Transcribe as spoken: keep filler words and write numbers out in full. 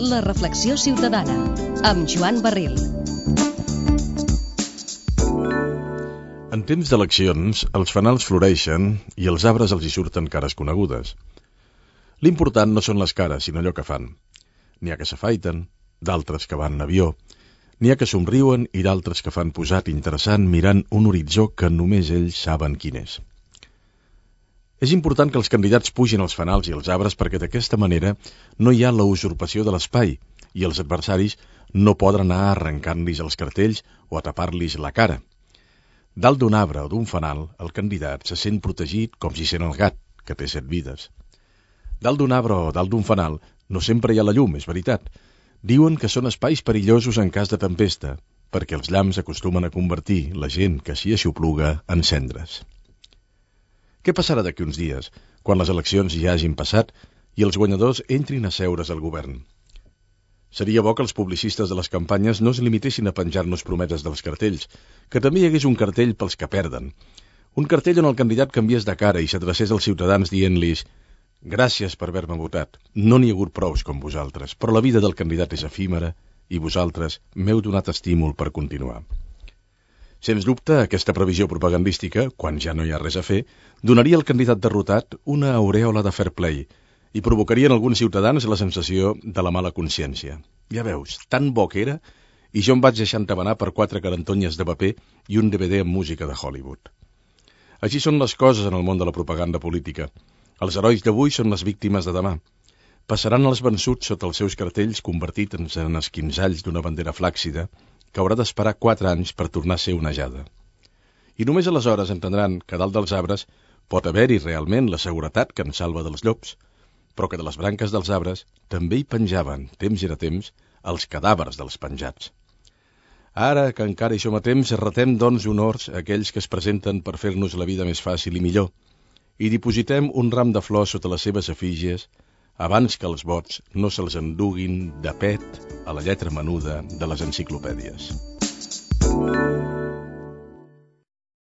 La reflexió ciutadana, amb Joan Barril. En temps d'eleccions, els fanals floreixen i els arbres els hi surten cares conegudes. L'important no són les cares, sinó allò que fan. N'hi ha que s'afaiten, d'altres que van en avió, n'hi ha que somriuen i d'altres que fan posat interessant mirant un horitzó que només ells saben quin és. És important que els candidats pugin als fanals i als arbres perquè d'aquesta manera no hi ha la usurpació de l'espai i els adversaris no poden anar arrencant-los els cartells o a tapar-los la cara. Dalt d'un arbre o d'un fanal, el candidat se sent protegit com si sent el gat, que té set vides. Dalt d'un arbre o dalt d'un fanal no sempre hi ha la llum, és veritat. Diuen que són espais perillosos en cas de tempesta, perquè els llamps acostumen a convertir la gent que s'hi aixopluga en cendres. Què passarà d'aquí uns dies, quan les eleccions ja hagin passat i els guanyadors entrin a seure's al govern? Seria bo que els publicistes de les campanyes no es limitessin a penjar-nos promeses dels cartells, que també hi hagués un cartell pels que perden. Un cartell on el candidat canviés de cara i s'adrecés als ciutadans dient-los: gràcies per haver-me votat, no n'hi ha hagut prous com vosaltres, però la vida del candidat és efímera i vosaltres m'heu donat estímul per continuar. Sens dubte, aquesta previsió propagandística, quan ja no hi ha res a fer, donaria al candidat derrotat una aurèola de fair play i provocaria en alguns ciutadans la sensació de la mala consciència. Ja veus, tan bo que era, i jo em vaig deixar entabanar per quatre carantonyes de paper i un D V D amb música de Hollywood. Així són les coses en el món de la propaganda política. Els herois d'avui són les víctimes de demà. Passaran els vençuts sota els seus cartells convertits en esquinzalls d'una bandera flàccida que haurà d'esperar quatre anys per tornar a ser onejada. I només aleshores entendran que dalt dels arbres pot haver-hi realment la seguretat que ens salva dels llops, però que de les branques dels arbres també hi penjaven, temps i temps, els cadàvers dels penjats. Ara que encara hi som a temps, retem doncs honors a aquells que es presenten per fer-nos la vida més fàcil i millor, i dipositem un ram de flors sota les seves efígies abans que els vots no se'ls enduguin de pet a la lletra menuda de les enciclopèdies.